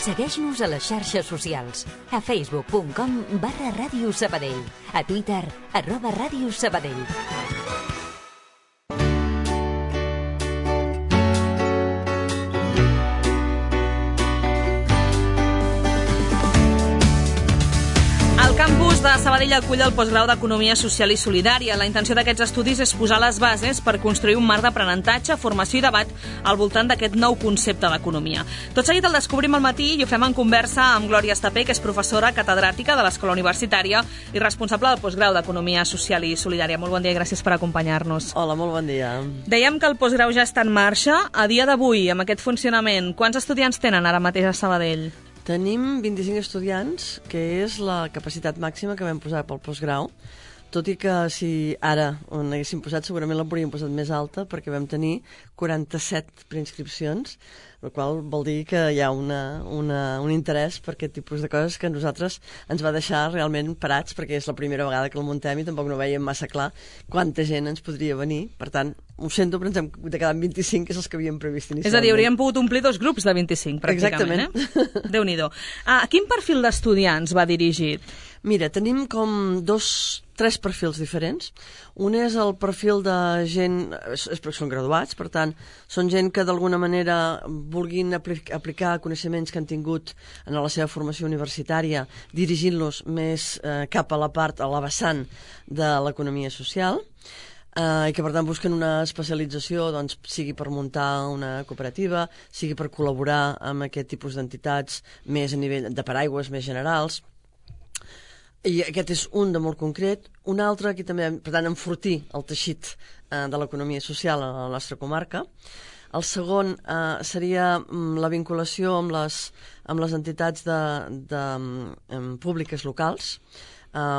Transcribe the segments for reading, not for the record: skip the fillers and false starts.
Segueix-nos a les xarxes socials. A facebook.com/Ràdio Sabadell. A Twitter, @Ràdio Sabadell. El campus de Sabadell acull el postgrau d'Economia Social i Solidària. La intenció d'aquests estudis és posar les bases per construir un marc d'aprenentatge, formació i debat al voltant d'aquest nou concepte d'economia. Tot seguit el descobrim al matí i ho fem en conversa amb Glòria Estapé, que és professora catedràtica de l'Escola Universitària i responsable del postgrau d'Economia Social i Solidària. Molt bon dia i gràcies per acompanyar-nos. Hola, molt bon dia. Dèiem que el postgrau ja està en marxa. A dia d'avui, amb aquest funcionament, quants estudiants tenen ara mateix a Sabadell? Tenim 25 estudiants, que és la capacitat màxima que vam posar pel postgrau, tot i que si ara on haguéssim posat segurament l'hauríem posat més alta, perquè vam tenir 47 preinscripcions, el qual vol dir que hi ha un interès per aquest tipus de coses que a nosaltres ens va deixar realment parats, perquè és la primera vegada que el muntem i tampoc no veiem massa clar quanta gent ens podria venir. Per tant, ho sento, però ens hem de quedar amb 25, que és els que havíem previst inicialment. És a dir, hauríem pogut omplir 2 grups de 25, pràcticament. Exactament. Déu-n'hi-do. A quin perfil d'estudiants va dirigit? Mira, tenim com 3 perfils diferents. Un és el perfil de gent, són graduats, per tant, són gent que d'alguna manera vulguin aplicar coneixements que han tingut en la seva formació universitària, dirigint-los més cap a la vessant de l'economia social, i que per tant busquen una especialització, doncs, sigui per muntar una cooperativa, sigui per col·laborar amb aquest tipus d'entitats més a nivell de paraigües més generals. I aquest és un de molt concret. Un altre, aquí també, per tant, enfortir el teixit de l'economia social a la nostra comarca. El segon seria la vinculació amb les entitats públiques locals,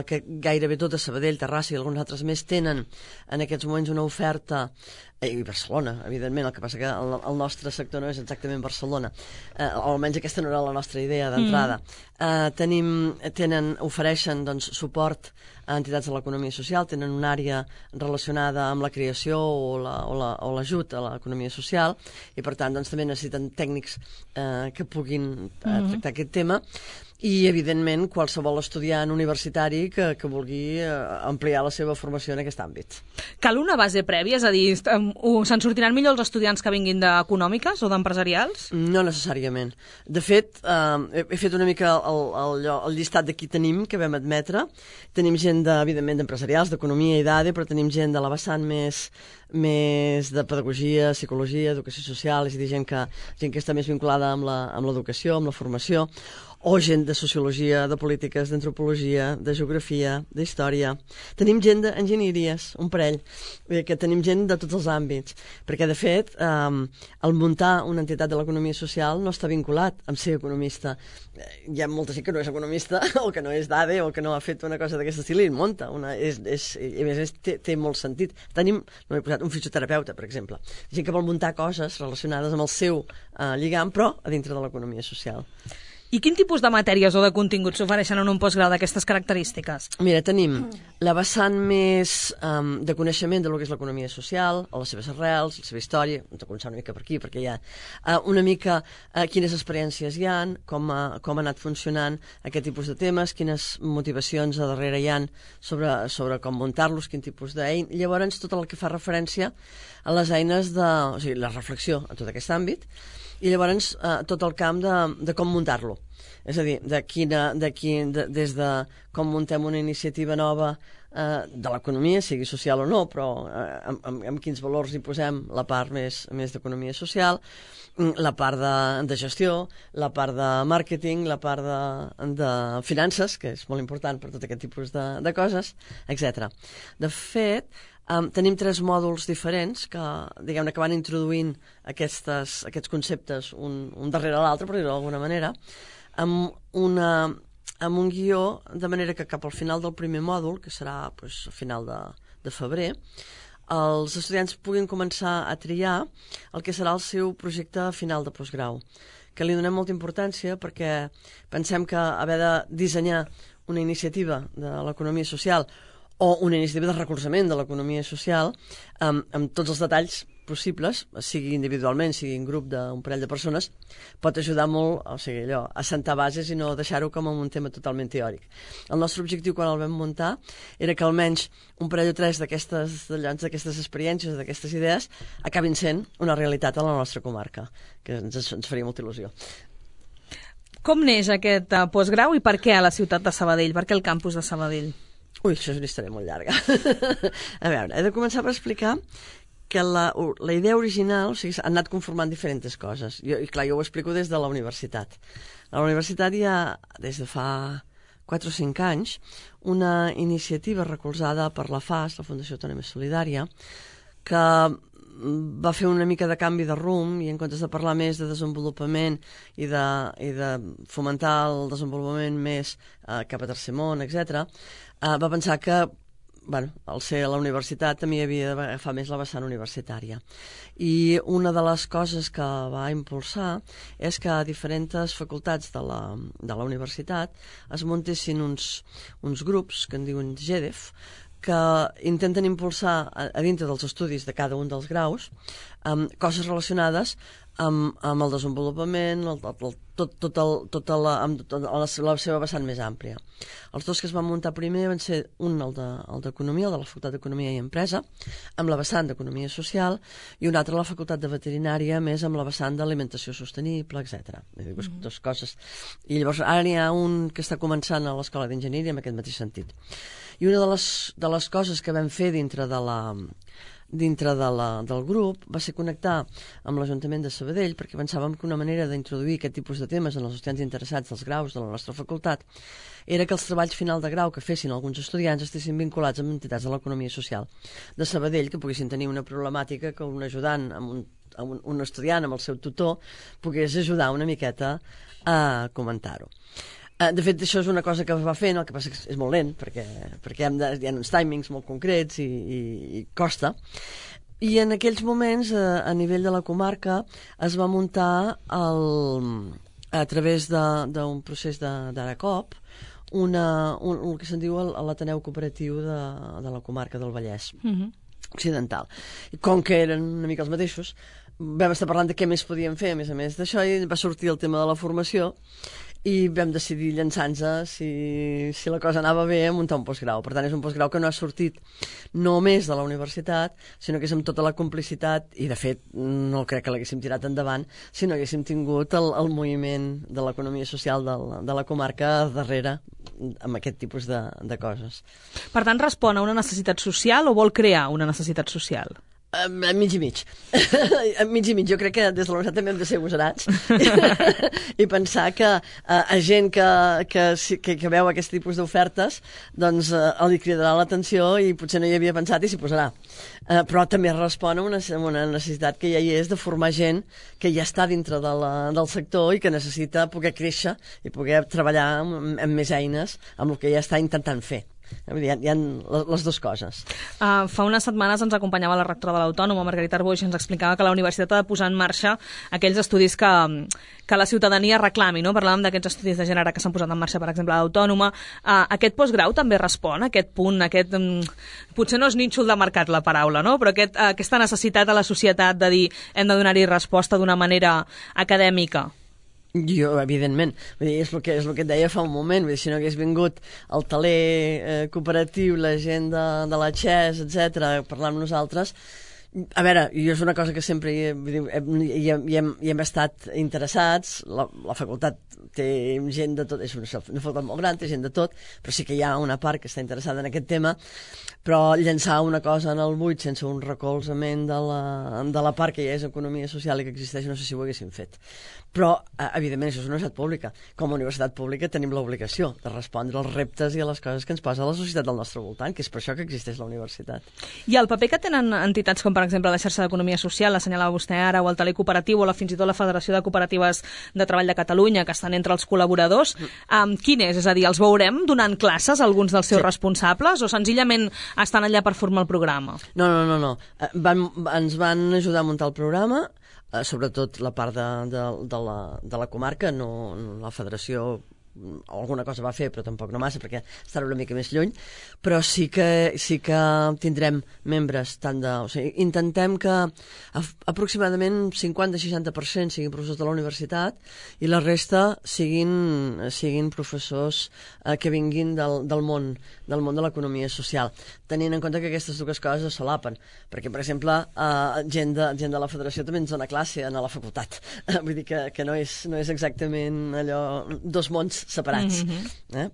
que gairebé tot a Sabadell, Terrassa i alguns altres més tenen en aquests moments una oferta, i Barcelona, evidentment, el que passa que el nostre sector no és exactament Barcelona, o almenys aquesta no era la nostra idea d'entrada. Ofereixen doncs, suport a entitats de l'economia social, tenen una àrea relacionada amb la creació o l'ajut a l'economia social, i per tant doncs, també necessiten tècnics que puguin tractar aquest tema. I, evidentment, qualsevol estudiant universitari que vulgui ampliar la seva formació en aquest àmbit. Cal una base prèvia? És a dir, se'n sortiran millor els estudiants que vinguin d'econòmiques o d'empresarials? No necessàriament. De fet, he fet una mica el llistat de qui tenim, que vam admetre. Tenim gent, evidentment, d'empresarials, d'economia i d'ADE, però tenim gent de la vessant més de pedagogia, psicologia, educació social, és a dir, gent que està més vinculada amb l'educació, amb la formació, o gent de sociologia, de polítiques, d'antropologia, de geografia, d'història. Tenim gent d'enginyeries, un parell, que tenim gent de tots els àmbits, perquè, de fet, el muntar una entitat de l'economia social no està vinculat amb ser economista. Hi ha molta gent que no és economista, o que no és d'ADE, o que no ha fet una cosa d'aquest estil i munta. I a més té molt sentit. Tenim, no he posat, un fisioterapeuta, per exemple. Gent que vol muntar coses relacionades amb el seu lligam, però a dintre de l'economia social. I quin tipus de matèries o de continguts s'ofereixen en un postgrau d'aquestes característiques? Mira, tenim la vessant més de coneixement de lo que és l'economia social, les seves arrels, la seva història, hem de començar una mica per aquí, perquè hi ha una mica quines experiències hi ha, com ha anat funcionant aquest tipus de temes, quines motivacions a darrere hi ha sobre com muntar-los, quin tipus d'eina. Llavors, tot el que fa referència a les eines o sigui, la reflexió en tot aquest àmbit, i llavors tot el camp de com muntar-lo. És a dir, des de com muntem una iniciativa nova de l'economia, sigui social o no, però amb quins valors hi posem la part més d'economia social, la part de gestió, la part de màrqueting, la part de finances, que és molt important per tot aquest tipus de coses, etc. De fet, tenim 3 mòduls diferents que, diguem-ne, que van introduint aquests conceptes un darrere l'altre, per dir-ho d'alguna manera, amb un guió, de manera que cap al final del primer mòdul, que serà a final de febrer, els estudiants puguin començar a triar el que serà el seu projecte final de postgrau, que li donem molta importància perquè pensem que haver de dissenyar una iniciativa de l'economia social o una iniciativa de recolzament de l'economia social amb tots els detalls possibles, sigui individualment, sigui en grup d'un parell de persones, pot ajudar molt, o sigui, allò, a sentar bases i no deixar-ho com un tema totalment teòric. El nostre objectiu quan el vam muntar era que almenys un parell o tres d'aquestes experiències, d'aquestes idees, acabin sent una realitat a la nostra comarca, que ens faria molta il·lusió. Com neix aquest postgrau i per què a la ciutat de Sabadell? Per què el campus de Sabadell? Ui, això és una història molt llarga. A veure, he de començar per explicar que la idea original, o sigui, han anat conformant diferents coses. I clar, jo ho explico des de la universitat. A la universitat hi ha, des de fa 4 o 5 anys, una iniciativa recolzada per la FAS, la Fundació Autònoma Solidària, que va fer una mica de canvi de rumb i en comptes de parlar més de desenvolupament i de fomentar el desenvolupament més cap a tercer món, etc., va pensar que al ser a la universitat també havia d'agafar més la vessant universitària. I una de les coses que va impulsar és que a diferents facultats de la universitat es muntessin uns grups que en diuen GEDEF, que intenten impulsar a dintre dels estudis de cada un dels graus coses relacionades amb el desenvolupament, tota la seva vessant més àmplia. Els dos que es van muntar primer van ser un, el d'Economia, el de la Facultat d'Economia i Empresa, amb la vessant d'Economia Social, i un altre la Facultat de Veterinària, més amb la vessant d'Alimentació Sostenible, etc. Dues coses. I llavors ara n'hi ha un que està començant a l'Escola d'Enginyeria en aquest mateix sentit. I una de les coses que vam fer dintre del grup va ser connectar amb l'Ajuntament de Sabadell, perquè pensàvem que una manera d'introduir aquest tipus de temes en els estudiants interessats dels graus de la nostra facultat era que els treballs final de grau que fessin alguns estudiants estiguessin vinculats amb entitats de l'economia social de Sabadell, que poguessin tenir una problemàtica que un ajudant, un estudiant amb el seu tutor, pogués ajudar una miqueta a comentar-ho. De fet, això és una cosa que va fent, el que passa que és molt lent, perquè hi ha uns timings molt concrets i costa. I en aquells moments, a nivell de la comarca, es va muntar a través d'un procés d'Aracop el que se'n diu l'Ateneu Cooperatiu de la comarca del Vallès Occidental. I com que eren una mica els mateixos, vam estar parlant de què més podíem fer, a més d'això, i va sortir el tema de la formació, i vam decidir llançar-nos, si la cosa anava bé, a muntar un postgrau. Per tant, és un postgrau que no ha sortit només de la universitat, sinó que és amb tota la complicitat, i de fet no crec que l'haguéssim tirat endavant si no haguéssim tingut el moviment de l'economia social de la comarca darrere amb aquest tipus de coses. Per tant, respon a una necessitat social o vol crear una necessitat social? Mig i mig. Mig i mig. Jo crec que des de la universitat també hem de ser agosarats i pensar que a gent que veu aquest tipus d'ofertes doncs li cridarà l'atenció i potser no hi havia pensat i s'hi posarà. Però també respon a una necessitat que ja hi és de formar gent que ja està dintre del sector i que necessita poder créixer i poder treballar amb més eines amb el que ja està intentant fer. Hi ha les dues coses. Fa unes setmanes ens acompanyava la rectora de l'Autònoma, Margarita Arboix, i ens explicava que la universitat ha de posar en marxa aquells estudis que la ciutadania reclami, no? Parlàvem d'aquests estudis de gènere que s'han posat en marxa, per exemple, a l'Autònoma. Aquest postgrau també respon a aquest punt, potser no és nínxol de mercat la paraula, no? Però aquesta necessitat a la societat de dir hem de donar-hi resposta d'una manera acadèmica. Jo, evidentment. És el que et deia fa un moment. Si no hagués vingut el taler cooperatiu, la gent de la XES, etc., parlar amb nosaltres, a veure, jo és una cosa que sempre hi hem estat interessats. La facultat té gent de tot, és una facultat molt gran, té gent de tot, però sí que hi ha una part que està interessada en aquest tema, però llançar una cosa en el buit sense un recolzament de la part que ja és economia social i que existeix, no sé si ho haguéssim fet. Però, evidentment, això és una universitat pública. Com a universitat pública tenim l'obligació de respondre als reptes i a les coses que ens posa la societat del nostre voltant, que és per això que existeix la universitat. I el paper que tenen entitats com, per exemple, la xarxa d'economia social, l'assenyalava vostè ara, o el taler cooperatiu, o fins i tot la Federació de Cooperatives de Treball de Catalunya, que estan entre els col·laboradors, quin és? És a dir, els veurem donant classes a alguns dels seus responsables o senzillament estan allà per formar el programa? No. Ens van ajudar a muntar el programa, sobretot la part de la comarca, no la federació alguna cosa va fer, però tampoc no massa, perquè estarà una mica més lluny, però sí que tindrem membres o sigui, intentem que aproximadament 50-60% siguin professors de la universitat i la resta siguin professors que vinguin del món de l'economia social, tenint en compte que aquestes dues coses es solapen, perquè, per exemple, gent de la federació també ens dona classe a la facultat, vull dir que no és exactament allò, dos mons separats,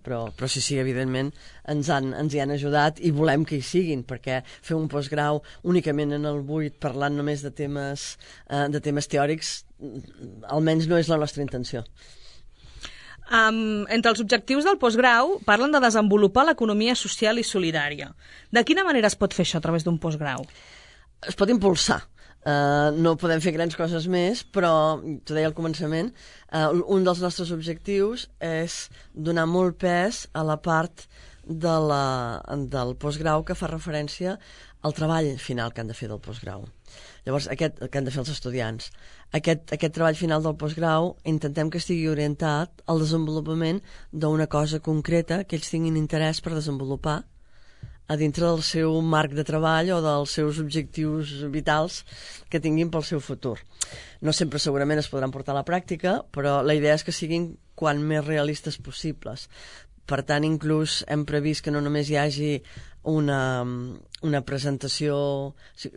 però sí, evidentment ens hi han ajudat i volem que hi siguin, perquè fer un postgrau únicament en el buit parlant només de temes teòrics almenys no és la nostra intenció. Entre els objectius del postgrau parlen de desenvolupar l'economia social i solidària. De quina manera es pot fer això a través d'un postgrau? Es pot impulsar. No podem fer grans coses més, però, t'ho deia al començament, un dels nostres objectius és donar molt pes a la part del postgrau que fa referència al treball final que han de fer del postgrau. Llavors, que han de fer els estudiants. Aquest treball final del postgrau intentem que estigui orientat al desenvolupament d'una cosa concreta que ells tinguin interès per desenvolupar a dintre del seu marc de treball o dels seus objectius vitals que tinguin pel seu futur. No sempre segurament es podran portar a la pràctica, però la idea és que siguin quan més realistes possibles. Per tant, inclús hem previst que no només hi hagi una presentació...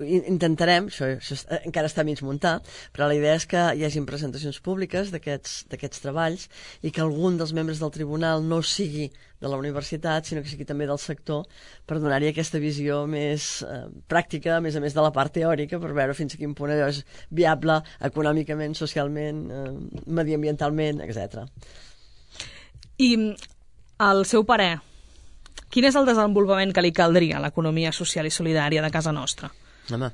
Intentarem, això encara està mig muntar, però la idea és que hi hagin presentacions públiques d'aquests treballs i que algun dels membres del tribunal no sigui de la universitat, sinó que sigui també del sector, per donar-hi aquesta visió més pràctica, a més de la part teòrica, per veure fins a quin punt allò és viable econòmicament, socialment, mediambientalment, etc. I al seu parer, quin és el desenvolupament que li caldria a l'economia social i solidària de casa nostra? Home,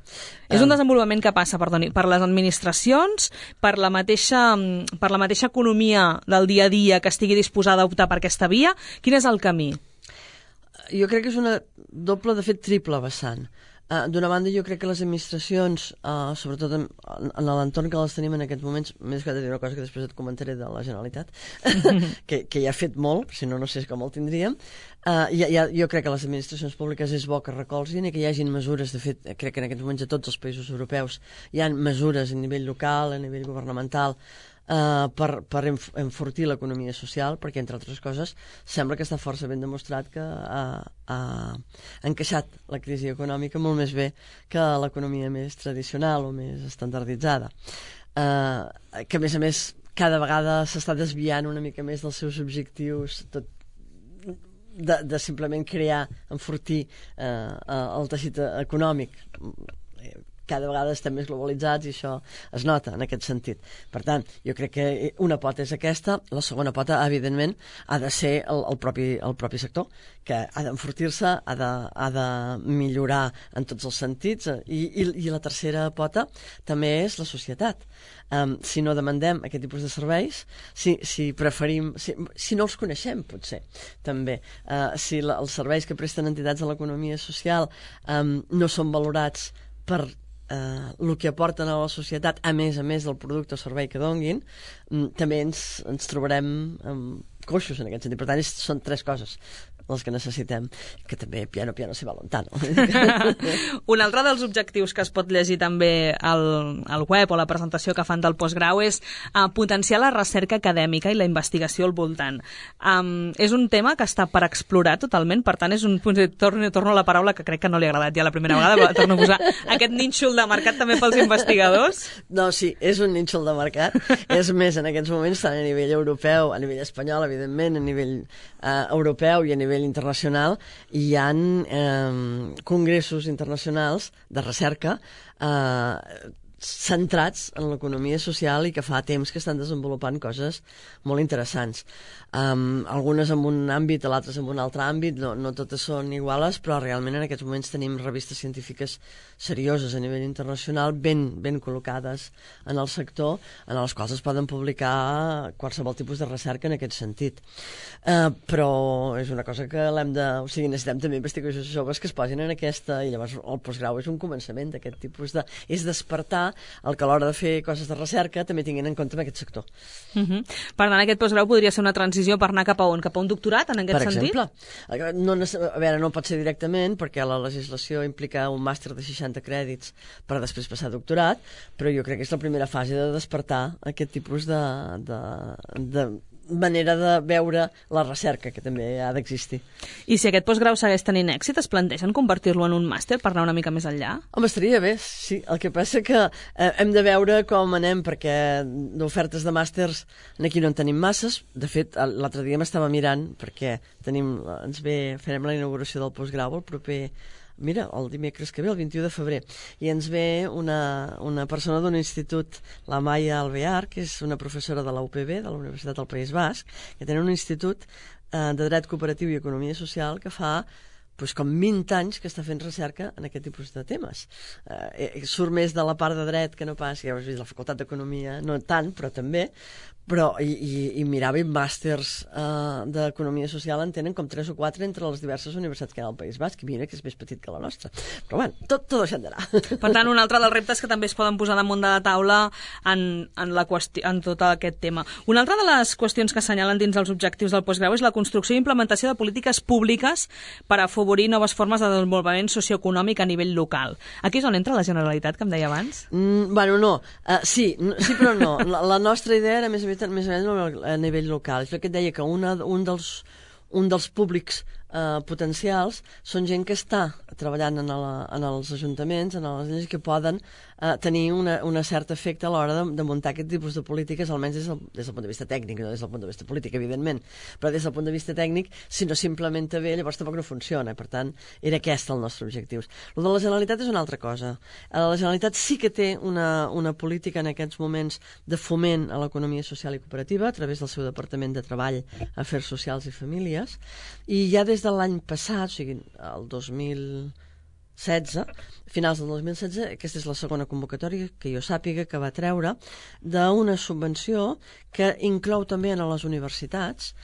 és un desenvolupament que passa, perdoni, per les administracions, per la mateixa economia del dia a dia que estigui disposada a optar per aquesta via? Quin és el camí? Jo crec que és una doble, de fet triple vessant. D'una banda, jo crec que les administracions, sobretot en l'entorn que les tenim en aquests moments, més que de dir una cosa que després et comentaré de la Generalitat, que ja ha fet molt, si no sé com el tindríem, jo crec que les administracions públiques és bo que recolzin i que hi hagin mesures, de fet, crec que en aquests moments a tots els països europeus hi ha mesures a nivell local, a nivell governamental, per enfortir l'economia social, perquè, entre altres coses, sembla que està força ben demostrat que ha encaixat la crisi econòmica molt més bé que l'economia més tradicional o més estandarditzada. Que, a més, cada vegada s'està desviant una mica més dels seus objectius, de simplement crear, enfortir el teixit econòmic. Cada vegada estem més globalitzats i això es nota en aquest sentit. Per tant, jo crec que una pota és aquesta, la segona pota, evidentment, ha de ser el propi sector, que ha d'enfortir-se, ha de millorar en tots els sentits, i la tercera pota també és la societat. Si no demandem aquest tipus de serveis, si preferim, si no els coneixem, potser, també, si els serveis que presten entitats de l'economia social no són valorats per el que aporten a la societat, a més del producte o servei que donguin, també ens trobarem coixos en aquest sentit. Per tant, són tres coses les que necessitem, que també piano se va lontano. Un altre dels objectius que es pot llegir també al web o la presentació que fan del postgrau és potenciar la recerca acadèmica i la investigació al voltant. És un tema que està per explorar totalment, per tant, és un punt... Torno a la paraula que crec que no li ha agradat ja la primera vegada, però torno a posar aquest nínxol de mercat també pels investigadors. No, sí, és un nínxol de mercat. És més, en aquests moments, tant a nivell europeu, a nivell espanyol, evidentment, a nivell europeu i a nivell internacional, hi ha congressos internacionals de recerca centrats en l'economia social i que fa temps que estan desenvolupant coses molt interessants. Algunes en un àmbit, altres en un altre àmbit, no totes són iguales, però realment en aquests moments tenim revistes científiques serioses a nivell internacional, ben col·locades en el sector, en les quals es poden publicar qualsevol tipus de recerca en aquest sentit. Però és una cosa que o sigui, necessitem també investigadors joves que es posin en aquesta, i llavors el postgrau és un començament d'aquest tipus de... és despertar facilitar el que a l'hora de fer coses de recerca també tinguin en compte en aquest sector. Per tant, aquest postgrau podria ser una transició per anar cap a on? Cap a un doctorat, en aquest sentit? Per exemple, a veure, no pot ser directament, perquè la legislació implica un màster de 60 crèdits per després passar a doctorat, però jo crec que és la primera fase de despertar aquest tipus de manera de veure la recerca, que també ha d'existir. I si aquest postgrau segueix tenint èxit, es plantegen convertir-lo en un màster per anar una mica més enllà? Home, estaria bé, sí. El que passa que hem de veure com anem, perquè d'ofertes de màsters aquí no en tenim masses. De fet, l'altre dia m'estava mirant, perquè farem la inauguració del postgrau el proper... Mira, el dimecres que ve, el 21 de febrer, i ens ve una persona d'un institut, la Maia Alvear, que és una professora de la UPB, de la Universitat del País Basc, que tenen un institut de dret cooperatiu i economia social que fa com 20 anys que està fent recerca en aquest tipus de temes. Surt més de la part de dret que no pas, ja ho has vist, la Facultat d'Economia, no tant, però també, i mirava màsters d'economia social en tenen com 3 o 4 entre les diverses universitats que hi ha al País Basc, i mira que és més petit que la nostra. Però bueno, tot això andarà. Per tant, un altre dels reptes que també es poden posar damunt de la taula en tot aquest tema. Una altra de les qüestions que assenyalen dins els objectius del postgrau és la construcció i implementació de polítiques públiques per afavorir noves formes de desenvolupament socioeconòmic a nivell local. Aquí és on entra la Generalitat, que em deia abans? Bueno, no. Sí, però no. La nostra idea era més o menys a nivell local. És el que et deia, que un dels públics potencials són gent que està treballant en els ajuntaments, en les lleis, que poden tenir un cert efecte a l'hora de muntar aquest tipus de polítiques, almenys des del punt de vista tècnic, no des del punt de vista polític, evidentment, però des del punt de vista tècnic, si no s'implementa bé, llavors tampoc no funciona. Per tant, era aquest el nostre objectiu. El de la Generalitat és una altra cosa. La Generalitat sí que té una política en aquests moments de foment a l'economia social i cooperativa a través del seu Departament de Treball, Afers Socials i Famílies, i ja des de l'any passat, o sigui, el 2016, finals del 2016, aquesta és la segona convocatòria que jo sàpiga que va treure d'una subvenció que inclou també a les universitats,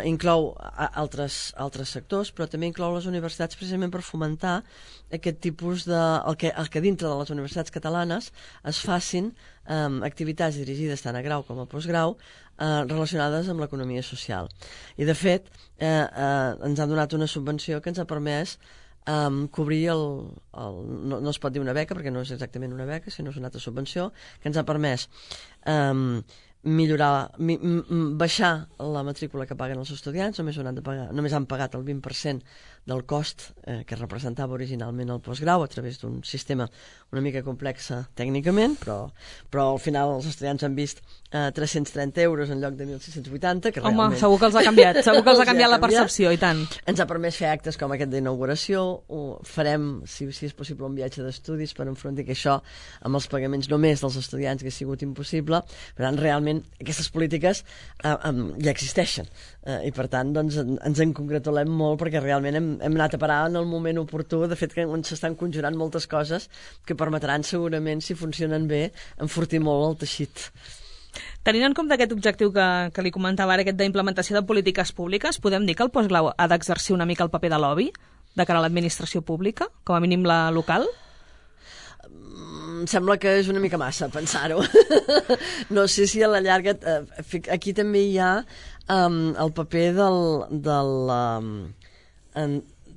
inclou altres sectors, però també inclou les universitats precisament per fomentar aquest tipus el que dintre de les universitats catalanes es facin activitats dirigides tant a grau com a postgrau relacionades amb l'economia social. I de fet ens han donat una subvenció que ens ha permès cobrir no es pot dir una beca perquè no és exactament una beca, sinó és una altra subvenció que ens ha permès baixar la matrícula que paguen els estudiants. Només han pagat el 20% del cost que representava originalment el postgrau a través d'un sistema una mica complex tècnicament, però al final els estudiants han vist 330 euros en lloc de 1.680, que realment... Home, segur que els ha canviat, segur que els ha canviat la percepció, i tant. Ens ha permès fer actes com aquest d'inauguració, farem, si és possible, un viatge d'estudis per enfrontar que això amb els pagaments només dels estudiants que ha sigut impossible. Per tant, realment, aquestes polítiques ja existeixen, i per tant, doncs, ens en congratulem molt perquè realment hem anat a parar en el moment oportú. De fet, que s'estan conjurant moltes coses que permetran segurament, si funcionen bé, enfortir molt el teixit. Tenint en compte aquest objectiu que li comentava ara, aquest d'implementació de polítiques públiques, podem dir que el postgrau ha d'exercir una mica el paper de lobby de cara a l'administració pública, com a mínim la local? Em sembla que és una mica massa pensar-ho. No sé si a la llarga... Aquí també hi ha el paper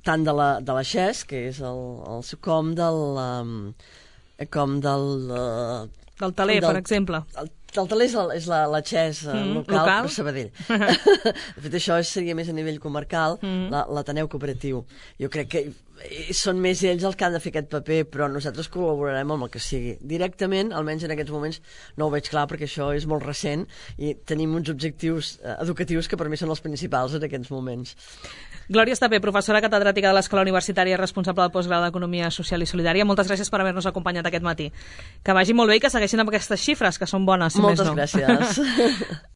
tant de la XES, que és com del Taler, per exemple. El Taler és la XES local, però Sabadell. De fet, això seria més a nivell comarcal, l'Ateneu Cooperatiu. Jo crec que són més ells els que han de fer aquest paper, però nosaltres col·laborarem amb el que sigui. Directament, almenys en aquests moments, no ho veig clar perquè això és molt recent i tenim uns objectius educatius que per mi són els principals en aquests moments. Glòria Estapé, professora catedràtica de l'Escola Universitària, responsable del postgrau d'Economia Social i Solidària. Moltes gràcies per haver-nos acompanyat aquest matí. Que vagi molt bé i que segueixin amb aquestes xifres, que són bones, si més no. Moltes gràcies.